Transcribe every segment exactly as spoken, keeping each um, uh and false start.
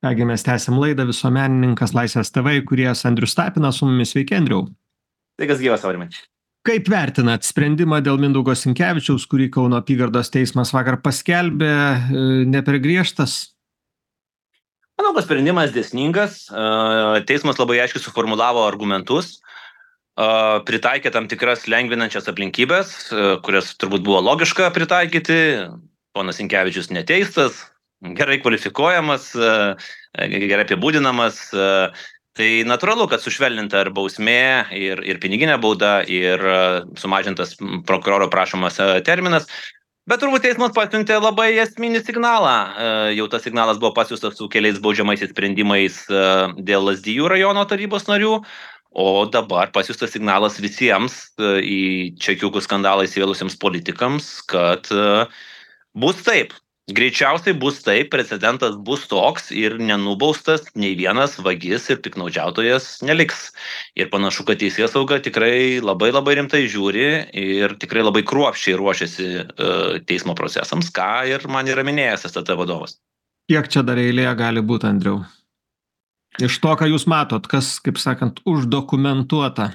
Ką gi mes tęsiam laidą, visuomenininkas Laisvės T V įkūrėjas Andrius Tapinas su mumis. Sveiki, Andriau. Sveikas gyvas, Aurimai. Kaip vertinat sprendimą dėl Mindaugo Sinkevičiaus, kurį Kauno apygardos teismas vakar paskelbė, e, ne per griežtas? Manau, kad sprendimas dėsningas. E, Teismas labai aiškiai suformulavo argumentus, e, pritaikė tam tikras lengvinančias aplinkybės, e, kurias turbūt buvo logiška pritaikyti. Ponas Sinkevičius neteistas, gerai kvalifikuojamas, e, gerai apibūdinamas. e, Tai natūralu, kad sušvelninta ir bausmė, ir, ir piniginė bauda, ir e, sumažintas prokuroro prašomas e, terminas. Bet turbūt teismas pasiuntė labai esminį signalą. E, Jau tas signalas buvo pasiųstas su keliais baudžiamaisiais sprendimais e, dėl Lazdijų rajono tarybos narių, o dabar pasiųstas signalas visiems e, į čekiukų skandalą įsivėlusiems politikams, kad e, bus taip. Greičiausiai bus taip, precedentas bus toks ir nenubaustas nei vienas vagis ir piknaudžiautojas neliks. Ir panašu, kad teisėsauga tikrai labai labai rimtai žiūri ir tikrai labai kruopščiai ruošiasi uh, teismo procesams, ką ir man yra minėjęs S T T vadovas. Kiek čia dar eilėje gali būti, Andriau? Iš to, ką jūs matot, kas, kaip sakant, uždokumentuota?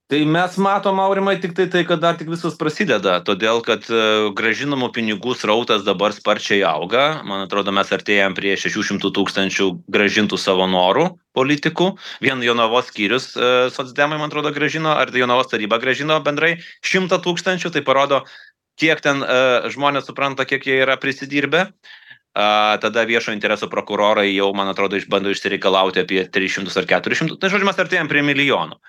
Tai mes matom, Aurimai, tik tai tai, kad dar tik viskas prasideda, todėl kad uh, gražinamų pinigų srautas dabar sparčiai auga. Man atrodo, mes artėjam prie šešių šimtų tūkstančių gražintų savo norų politikų. Vien Jonavos skyrius uh, socdemai, man atrodo, gražino, ar Jonavos taryba gražino bendrai šimtą tūkstančių. Tai parodo, kiek ten uh, žmonės supranta, kiek jie yra prisidirbę. Uh, tada viešo intereso prokurorai jau, man atrodo, išbando išsireikalauti apie tris šimtus ar keturis šimtus. Tai žodžiu, mes artėjam prie milijonų.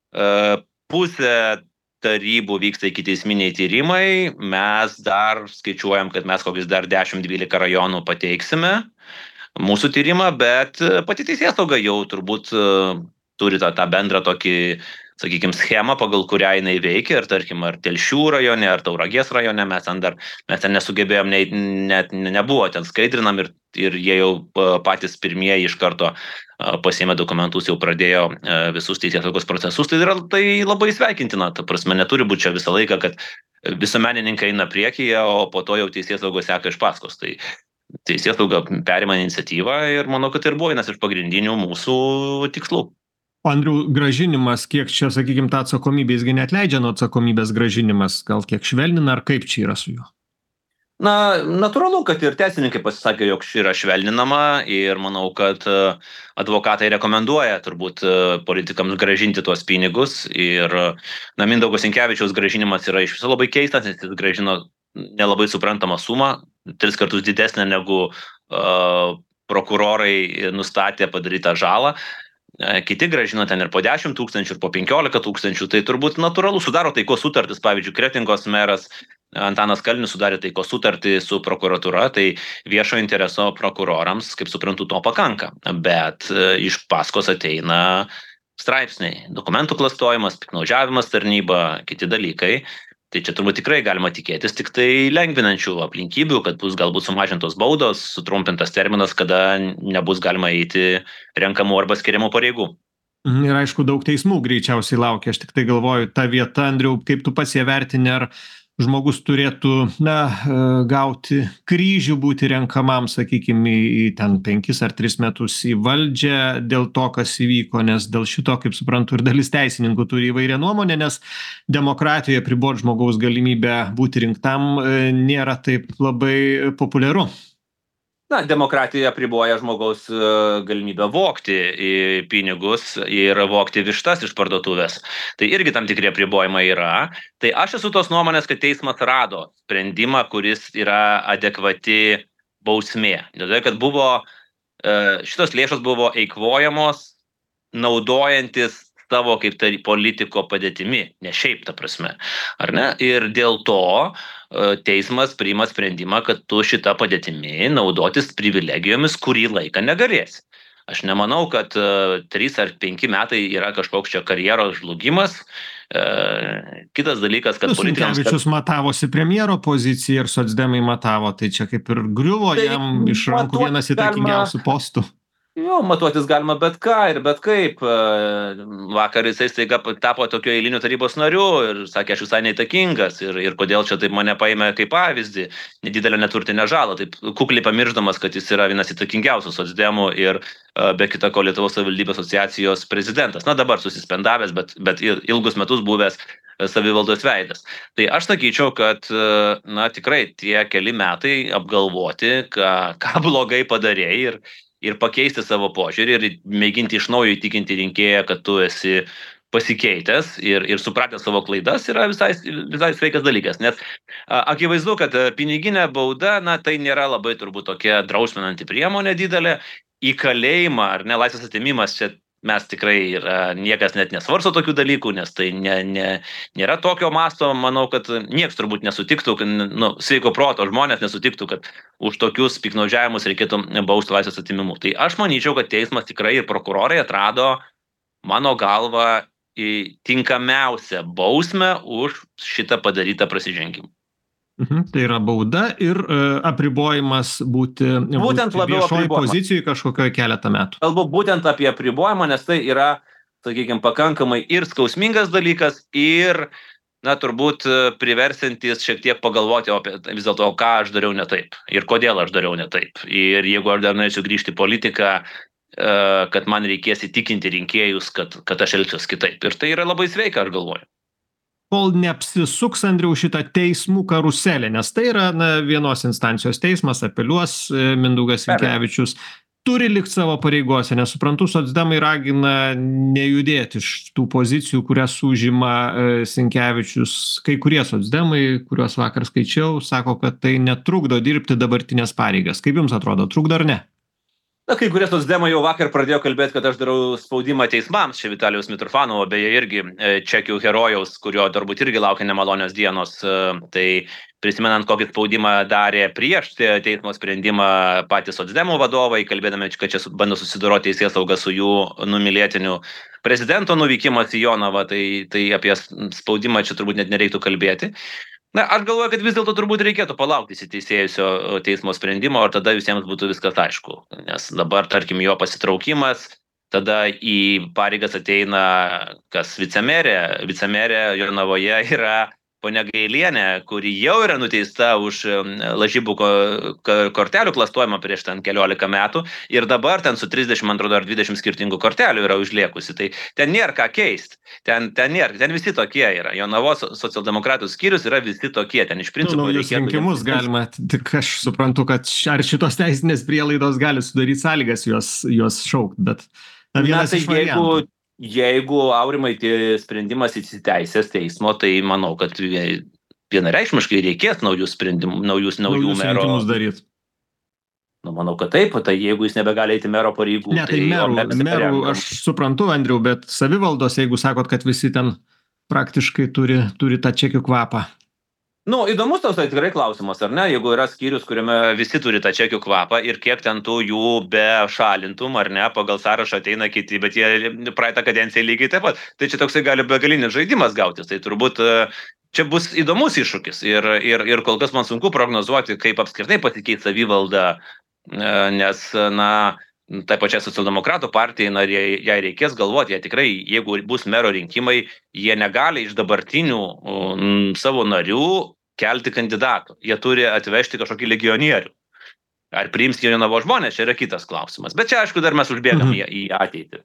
Uh, pusė tarybų vyksta ikiteisminiai tyrimai, mes dar skaičiuojam, kad mes kokius dar dešimt dvylika rajonų pateiksime mūsų tyrimą, bet pati teisėsauga jau turbūt uh, turi tą, tą bendrą tokį, sakykime, schemą, pagal kurią jinai veikia, ir tarkim, ar Telšių rajone, ar Tauragės rajone, mes ten dar, mes ten nesugebėjom, ne, net nebuvo ten skaidrinam, ir, ir jie jau patys pirmieji iš karto pasiėmė dokumentus, jau pradėjo visus teisėsaugos procesus. Tai yra tai labai sveikintina, ta prasme, neturi būti čia visą laiką, kad visuomenininkai eina priekyje, o po to jau teisėsauga seka iš paskos. Tai teisėsauga perima iniciatyvą ir manau, kad ir buvo vienas iš pagrindinių mūsų tikslų. O Andriau, grąžinimas, kiek čia, sakykime, tą atsakomybę, jisgi neatleidžia nuo atsakomybės grąžinimas, gal kiek švelnina, ar kaip čia yra su juo? Na, natūralu, kad ir teisininkai pasisakė, jog ši yra švelninama, ir manau, kad advokatai rekomenduoja turbūt politikams grąžinti tuos pinigus. Ir na, Mindaugo Sinkevičiaus grąžinimas yra iš viso labai keistas, nes jis grąžino nelabai suprantamą sumą, tris kartus didesnę negu uh, prokurorai nustatė padarytą žalą. Kiti grąžino ten ir po dešimt tūkstančių, ir po penkiolika tūkstančių. Tai turbūt natūralu, sudaro taikos sutartis. Pavyzdžiui, Kretingos meras Antanas Kalnius sudarė taikos sutartį su prokuratūra, tai viešo intereso prokurorams, kaip suprantu, to pakanka. Bet iš paskos ateina straipsniai, dokumentų klastojimas, piktnaudžiavimas tarnyba, kiti dalykai. Tai čia turbūt tikrai galima tikėtis tik tai lengvinančių aplinkybių, kad bus galbūt sumažintos baudos, sutrumpintas terminas, kada nebus galima eiti renkamų arba skiriamų pareigų. Ir aišku, daug teismų greičiausiai laukia. Aš tik tai galvoju, ta vieta, Andriau, kaip tu pats ją vertini, ar žmogus turėtų, na, gauti kryžių, būti renkamam, sakykime, į ten penkis ar tris metus į valdžią dėl to, kas įvyko, nes dėl šito, kaip suprantu, ir dalis teisininkų turi įvairią nuomonę, nes demokratijoje pribot žmogaus galimybę būti rinktam nėra taip labai populiaru. Na, demokratija apriboja žmogaus galimybę vogti pinigus ir vogti vištas iš parduotuvės. Tai irgi tam tikri apribojimai yra. Tai aš esu tos nuomonės, kad teismas rado sprendimą, kuris yra adekvati bausmė. Todėl, kad buvo, šitos lėšos buvo eikvojamos naudojantis savo kaip tai politiko padėtimi, ne šiaip ta prasme, ar ne? Ir dėl to teismas priima sprendimą, kad tu šitą padėtimi naudotis privilegijomis kurį laiką negalėsi. Aš nemanau, kad uh, trys ar penki metai yra kažkoks čia karjeros žlugimas. Uh, kitas dalykas, kad politikams... Sinkevičius kad... matavosi premjero poziciją ir socdemai matavo, tai čia kaip ir griuvo tai jam iš rankų vienas įtakingiausių postų. Jo, matuotis galima bet ką ir bet kaip. Vakar jisai staiga tapo tokio eilinių tarybos nariu ir sakė, aš visai neįtakingas ir, ir kodėl čia taip mane paėmė kaip pavyzdį, nedidelę neturtinę žalą, taip kukliai pamiršdamas, kad jis yra vienas įtakingiausių socdemų ir be kita ko Lietuvos savivaldybės asociacijos prezidentas. Na dabar susispendavęs, bet, bet ilgus metus buvęs savivaldos veidas. Tai aš sakyčiau, kad na tikrai tie keli metai apgalvoti, ką, ką blogai padarėjai ir ir pakeisti savo požiūrį ir mėginti iš naujo įtikinti rinkėją, kad tu esi pasikeitęs ir, ir supratęs savo klaidas yra visai, visai sveikas dalykas. Nes a, akivaizdu, kad piniginė bauda, na, tai nėra labai turbūt tokia drausminanti priemonė didelė. Į kalėjimą ar ne laisvės atėmimas čia mes tikrai yra, niekas net nesvarsto tokių dalykų, nes tai ne, ne, nėra tokio masto, manau, kad nieks turbūt nesutiktų, nu, sveiko proto žmonės nesutiktų, kad už tokius piknaudžiavimus reikėtų bausti laisvės atėmimu. Tai aš manyčiau, kad teismas tikrai ir prokurorai atrado, mano galva, tinkamiausią bausmę už šitą padarytą prasižengimą. Mhm, tai yra bauda ir uh, apribojimas būti, būtent būti viešoj pozicijai kažkokioje keletą metų. Kalbu būtent apie apribojimą, nes tai yra, sakykime, pakankamai ir skausmingas dalykas, ir, na, turbūt priversintis šiek tiek pagalvoti apie vis dėlto, ką aš dariau ne taip ir kodėl aš dariau ne taip. Ir jeigu aš dar norėčiau grįžti į politiką, uh, kad man reikės įtikinti rinkėjus, kad, kad aš elgsiuos kitaip. Ir tai yra labai sveika, aš galvoju. Kol neapsisuks, Andriau, šitą teismų karuselę, nes tai yra na, vienos instancijos teismas, apeliuos Mindaugas Sinkevičius, turi likti savo pareigose, nes suprantu, socdemai ragina nejudėti iš tų pozicijų, kurias užima Sinkevičius. Kai kurie socdemai, kuriuos vakar skaičiau, sako, kad tai netrukdo dirbti dabartinės pareigas. Kaip jums atrodo, trukdo ar ne? Na, kai kurie socdemai jau vakar pradėjo kalbėti, kad aš darau spaudimą teismams, čia Vitalijaus Mitrofanovo, beje irgi čekių herojaus, kurio turbūt irgi laukia nemalonios dienos, tai prisimenant, kokį spaudimą darė prieš teismo sprendimą patys socdemų vadovai, kalbėdami, kad čia bando susidoroti teisėsauga su jų numylėtiniu prezidento nuvykimas į Jonavą, tai, tai apie spaudimą čia turbūt net nereiktų kalbėti. Na, aš galvoju, kad vis dėlto turbūt reikėtų palaukti įsiteisėjusio teismo sprendimo, ir tada visiems būtų viskas aišku. Nes dabar, tarkim, jo pasitraukimas, tada į pareigas ateina kas vicemerė. Vicemerė Jonavoje yra ponia Gailienė, kuri jau yra nuteista už lažybų kortelių klastojimą prieš ten keliolika metų ir dabar ten su trisdešimt atrodo ar dvidešimt skirtingų kortelių yra užliekusi. Tai ten nėra ką keisti. Ten, ten nėra, ten visi tokie yra. Jonavos socialdemokratų skyrius yra visi tokie. Ten iš principo nu, reikėtų... rinkimus galima, tik aš suprantu, kad ar šitos teisinės prielaidos gali sudaryti sąlygas juos, juos šaukti, bet na, vienas na, tai iš variantų. Jeigu... Jeigu, Aurimai, tai sprendimas įsiteisės teismo, tai manau, kad vienareikšmiškai reikės naujų sprendimų, naujus, naujų mero. Daryt. Nu, manau, kad taip, tai jeigu jis nebegali eiti mero pareigų. Ne, tai, tai merų, merų aš suprantu, Andriau, bet savivaldos, jeigu sakot, kad visi ten praktiškai turi, turi tą čekių kvapą. Nu, įdomus tas tai tikrai klausimas, ar ne? Jeigu yra skyrius, kuriame visi turi tą čekių kvapą ir kiek ten tų jų be šalintum, ar ne, pagal sąrašą ateina kiti, bet jie praeitą kadenciją lygiai taip pat. Tai čia toksai gali begalinis žaidimas gautis. Tai turbūt čia bus įdomus iššūkis. Ir, ir, ir kol kas man sunku prognozuoti, kaip apskritai pasikeis savivalda, nes, na, tai pačiai socialdemokratų partijai, na, jai reikės galvoti, jie tikrai, jeigu bus mero rinkimai, jie negali iš dabartinių um, savo narių kelti kandidatų. Jie turi atvežti kažkokį legionierių. Ar priims Jonavos žmonės, čia yra kitas klausimas. Bet čia, aišku, dar mes užbėgam mhm. į ateitį.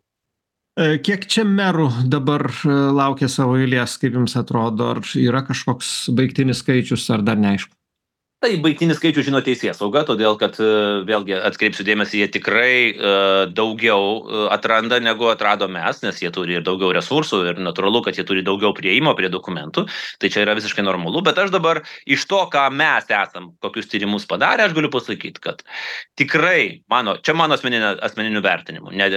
Kiek čia merų dabar laukia savo eilės, kaip jums atrodo? Ar yra kažkoks baigtinis skaičius, ar dar neaišku? Tai baigtinis skaičius žino teisėsauga, todėl kad, vėlgi, atkreipsiu dėmesį, jie tikrai daugiau atranda, negu atrado mes, nes jie turi ir daugiau resursų ir natūralu, kad jie turi daugiau prieimo prie dokumentų. Tai čia yra visiškai normalu, bet aš dabar iš to, ką mes esam, kokius tyrimus padarę, aš galiu pasakyti, kad tikrai, mano, čia mano asmeninių, asmeninių vertinimų, ne,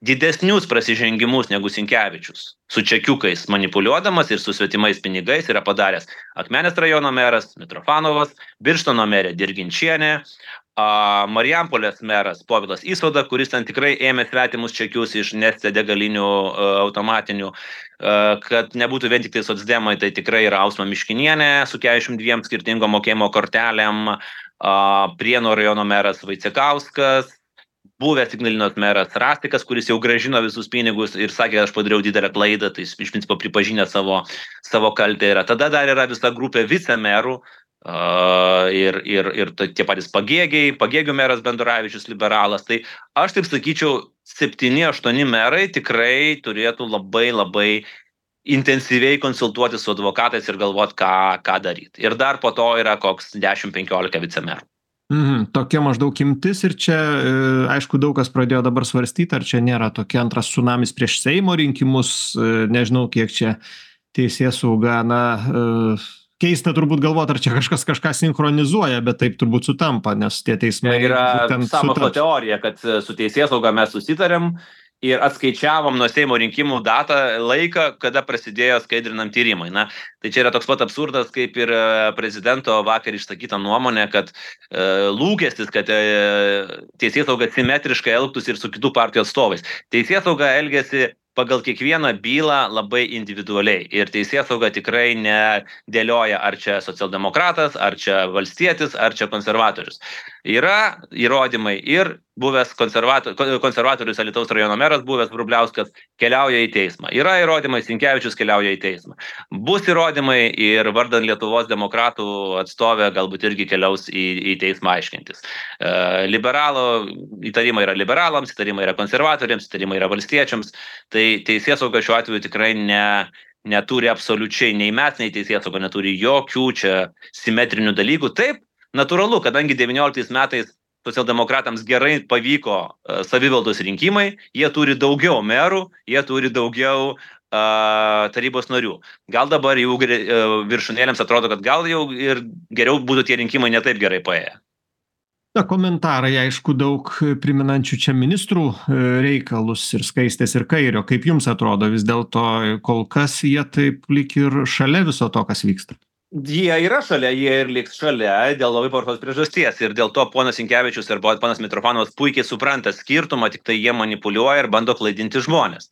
didesnius prasižengimus negu Sinkevičius su čekiukais manipuliuodamas ir su svetimais pinigais yra padaręs Akmenės rajono meras Mitrofanovas, Birštono merė Dirginčienė, Marijampolės meras Povilas Įsoda, kuris ten tikrai ėmė svetimus čekius iš Neste degalinių automatinių, kad nebūtų vien tik tai socdemai, tai tikrai yra Ausma Miškinienė su keturiasdešimt dviem skirtingom mokėjimo kortelėm, Prienų rajono meras Vaicekauskas, buvęs Ignalinos meras Rastikas, kuris jau grąžino visus pinigus ir sakė, aš padariau didelę klaidą, tai jis iš principo pripažinę savo, savo kaltę yra. Tada dar yra visa grupė vicemerų, Uh, ir, ir, ir tie patys pagėgiai, pagėgių meras Benduravičius, liberalas. Tai aš taip sakyčiau, septyni, aštuoni merai tikrai turėtų labai labai intensyviai konsultuoti su advokatais ir galvoti, ką, ką daryti. Ir dar po to yra koks dešimt penkiolika vicemerų. Mhm, tokia maždaug imtis ir čia, aišku, daug kas pradėjo dabar svarstyti, ar čia nėra tokia antras tsunamis prieš Seimo rinkimus, nežinau, kiek čia teisėsauga, na, keista turbūt galvot, ar čia kažkas kažką sinchronizuoja, bet taip turbūt sutampa, nes tie teismai yra sąmokslo teorija, kad su teisėsauga mes susitarėm ir atskaičiavom nuo Seimo rinkimų datą, laiką, kada prasidėjo skaidrinam tyrimai. Na, tai čia yra toks pat absurdas, kaip ir prezidento vakar išsakyta nuomonė, kad e, lūkestis, kad e, teisėsauga simetriškai elgtųsi ir su kitų partijų atstovais. Teisėsauga elgiasi pagal kiekvieną bylą labai individualiai. Ir teisėsauga tikrai nedėlioja, ar čia socialdemokratas, ar čia valstietis, ar čia konservatorius. Yra įrodymai ir buvęs konservator, konservatorius Alytaus rajono meras, buvęs Vrubliauskas, keliauja į teismą. Yra įrodymai, Sinkevičius keliauja į teismą. Bus įrodymai ir vardan Lietuvos demokratų atstovė galbūt irgi keliaus į, į teismą aiškintis. E, liberalo įtarimai yra liberalams, įtarimai yra konservatoriams, įtarimai yra valstiečiams. Tai teisėsauga šiuo atveju tikrai ne, neturi absoliučiai, nei mes, nei teisėsauga neturi jokių čia simetrinių dalykų. Taip, natūralu, kadangi devynioliktais metais socialdemokratams gerai pavyko uh, savivaldos rinkimai, jie turi daugiau merų, jie turi daugiau uh, tarybos narių. Gal dabar jau uh, viršūnėlėms atrodo, kad gal jau ir geriau būtų tie rinkimai netaip gerai paėję. Na, komentarai, aišku, daug priminančių čia ministrų reikalus ir Skaistės ir Kairio. Kaip jums atrodo, vis dėlto kol kas jie taip lyg ir šalia viso to, kas vyksta? Jie yra šalia, jie ir liks šalia dėl labai paprastos priežasties. Ir dėl to ponas Sinkevičius ir ponas Mitrofanovas puikiai supranta skirtumą, tik tai jie manipuliuoja ir bando klaidinti žmonės.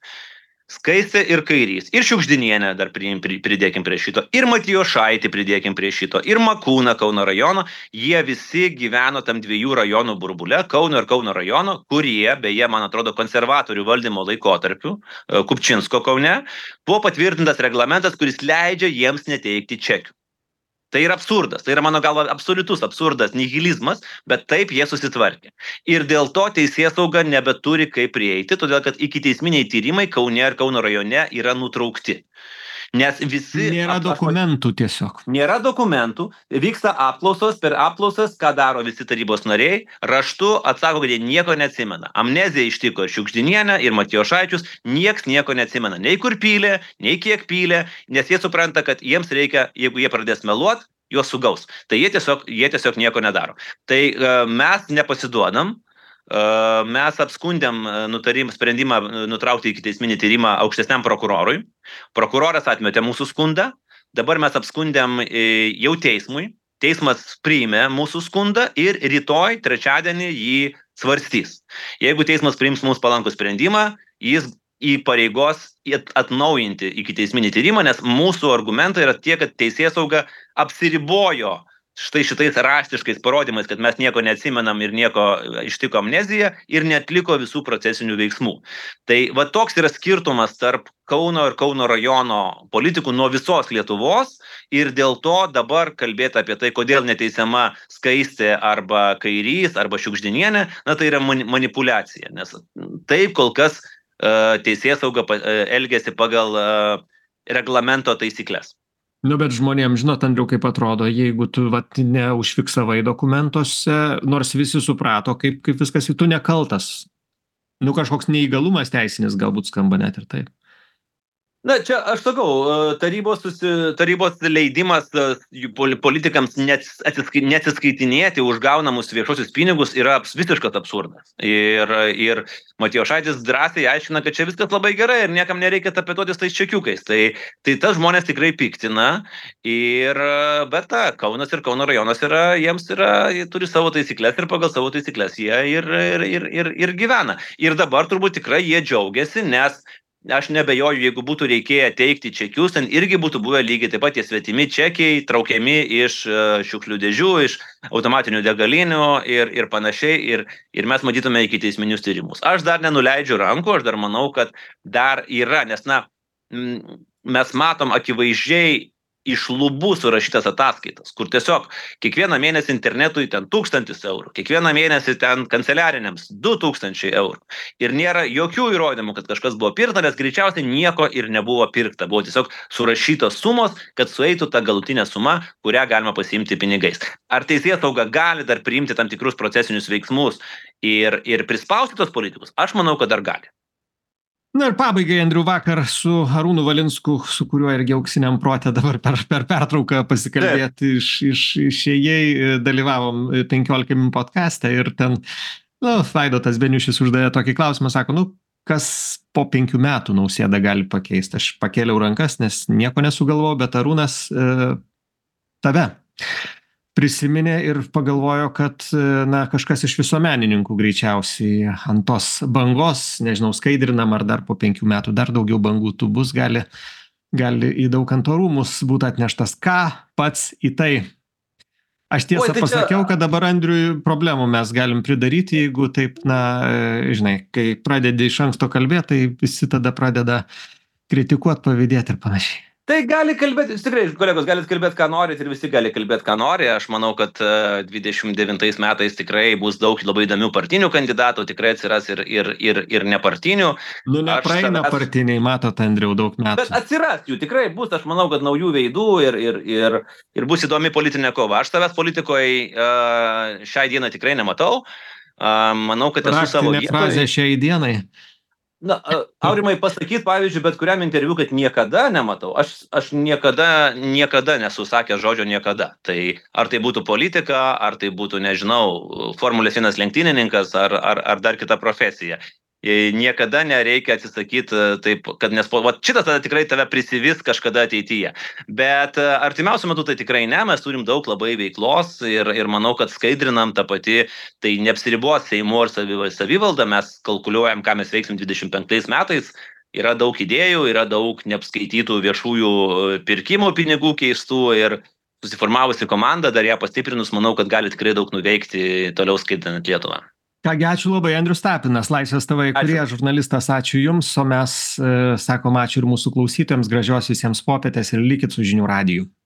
Skaistė ir Kairys, ir Šiugždinienė dar pridėkim prie šito, ir Matijošaitį pridėkim prie šito, ir Makūną Kauno rajono, jie visi gyveno tam dviejų rajonų burbule, Kauno ir Kauno rajono, kurie, beje, man atrodo, konservatorių valdymo laikotarpiu, Kupčinsko Kaune, buvo patvirtintas reglamentas, kuris leidžia jiems neteikti čekių. Tai yra absurdas, tai yra mano galva absoliutus absurdas, nihilizmas, bet taip jie susitvarkė. Ir dėl to teisėsauga nebeturi kaip prieiti, todėl kad ikiteisminiai tyrimai Kaune ir Kauno rajone yra nutraukti. Nes visi... Nėra dokumentų tiesiog. Nėra dokumentų, vyksta apklausos, per apklausas, ką daro visi tarybos nariai, raštu atsako, kad jie nieko neatsimena. Amnezija ištiko ir Šiugždinienę, ir Matijošaičius, nieks nieko neatsimena. Nei kur pylė, nei kiek pylė, nes jie supranta, kad jiems reikia, jeigu jie pradės meluot, juos sugaus. Tai jie tiesiog, jie tiesiog nieko nedaro. Tai uh, mes nepasiduodam. Uh, mes apskundėm nutarim, sprendimą nutraukti ikiteisminį tyrimą aukštesniam prokurorui. Prokuroras atmetė mūsų skundą. Dabar mes apskundėm jau teismui. Teismas priėmė mūsų skundą ir rytoj, trečiadienį, jį svarstys. Jeigu teismas priims mūsų palankų sprendimą, jis įpareigos atnaujinti ikiteisminį tyrimą, nes mūsų argumentai yra tie, kad teisėsauga apsiribojo štai šitais raštiškais parodymais, kad mes nieko neatsimenam ir nieko ištiko amnezija ir neatliko visų procesinių veiksmų. Tai va toks yra skirtumas tarp Kauno ir Kauno rajono politikų nuo visos Lietuvos ir dėl to dabar kalbėti apie tai, kodėl neteisiama Skaistė arba Kairys arba Šiugždinienė, na tai yra manipulacija, nes taip kol kas uh, teisėsauga uh, elgiasi pagal uh, reglamento taisyklės. Nu, bet žmonėms, žinot, Andriau, kaip atrodo, jeigu tu vat, neužfiksavai dokumentuose, nors visi suprato, kaip, kaip viskas, tu nekaltas. Nu, kažkoks neįgalumas teisinis galbūt skamba net ir taip. Na, čia aš sakau, tarybos, susi, tarybos leidimas politikams neatsiskaitinėti už gaunamus viešosius pinigus yra visiškas absurdas. Ir, ir Matijošaitis drąsiai aiškina, kad čia viskas labai gerai ir niekam nereikia tapetotis tais čekiukais. Tai, tai tas žmonės tikrai piktina. Ir, bet ta, Kaunas ir Kauno rajonas yra, jiems yra, jie turi savo taisyklės ir pagal savo taisyklės jie ir, ir, ir, ir, ir gyvena. Ir dabar turbūt tikrai jie džiaugiasi, nes aš nebejoju, jeigu būtų reikėję teikti čekius, ten irgi būtų buvę lygiai taip pat tie svetimi čekiai, traukiami iš šiukšlių dėžių, iš automatinių degalinių ir, ir panašiai, ir, ir mes matytume iki teisminius tyrimus. Aš dar nenuleidžiu rankų, aš dar manau, kad dar yra, nes, na, mes matom akivaizdžiai iš lubų surašytas ataskaitas, kur tiesiog kiekvieną mėnesį internetui ten tūkstantis eurų, kiekvieną mėnesį ten kanceliariniams du tūkstančiai eurų. Ir nėra jokių įrodymų, kad kažkas buvo pirkta, nes greičiausiai nieko ir nebuvo pirkta. Buvo tiesiog surašytos sumos, kad sueitų ta galutinė suma, kurią galima pasiimti pinigais. Ar teisėsauga gali dar priimti tam tikrus procesinius veiksmus ir, ir prispausti tos politikus? Aš manau, kad dar gali. Na ir pabaigai, Andriau, vakar su Arūnu Valinsku, su kuriuo irgi auksiniam prote dabar per, per pertrauką pasikalbėti, iš, iš, išėjai, dalyvavom penkiolika min podcaste ir ten, nu, Vaidotas Beniušis uždavė tokį klausimą, sako, nu, kas po penkių metų Nausėdą gali pakeisti. Aš pakėliau rankas, nes nieko nesugalvojau, bet Arūnas e, tave prisiminė ir pagalvojo, kad, na, kažkas iš visuomenininkų greičiausiai ant tos bangos, nežinau, skaidrinam, ar dar po penkių metų dar daugiau bangų tų bus, gali, gali į Daukanto rūmus būti atneštas. Ką pats į tai? Aš tiesą Oi, tai pasakiau, čia... kad dabar Andriui problemų mes galim pridaryti, jeigu taip, na, žinai, kai pradedi iš anksto kalbėti, tai visi tada pradeda kritikuoti, pavydėti ir panašiai. Tai gali kalbėti, tikrai, kolegos, galite kalbėti, ką norit ir visi gali kalbėti, ką nori. Aš manau, kad dvidešimt devintais metais tikrai bus daug labai įdomių partinių kandidatų, tikrai atsiras ir, ir, ir, ir nepartinių. Nu, nepraeina savęs... partiniai, matot, Andriau, daug metų. Bet atsiras jų, tikrai bus, aš manau, kad naujų veidų ir, ir, ir, ir bus įdomi politinė kova. Aš savęs politikoje uh, šiai dienai tikrai nematau. Uh, manau, kad esu savo vietoje. Frazė šiai dienai. Na, Aurimai, pasakyti, pavyzdžiui, bet kuriam interviu, kad niekada nematau. Aš, aš niekada, niekada nesu sakęs žodžio niekada. Tai ar tai būtų politika, ar tai būtų, nežinau, Formulės vienas lenktynininkas, ar, ar, ar dar kita profesija. Niekada nereikia atsisakyti taip, kad nes va, šitas tada tikrai tave prisivis kažkada ateityje. Bet artimiausiu metu tai tikrai ne, mes turim daug labai veiklos ir, ir manau, kad skaidrinam tą patį, tai neapsiribuos Seimu ir savivalda, mes kalkuliuojam, ką mes veiksim dvidešimt penktais metais. Yra daug idėjų, yra daug neapskaitytų viešųjų pirkimų pinigų keistų ir susiformavusi komanda, dar ją pastiprinus, manau, kad gali tikrai daug nuveikti toliau skaidrinant Lietuvą. Kągi, ačiū labai, Andrius Tapinas, Laisvės T V įkūrėjas, žurnalistas, ačiū Jums, o mes e, sakom ačiū ir mūsų klausytojams, gražios visiems popietės ir likit su žinių radiju.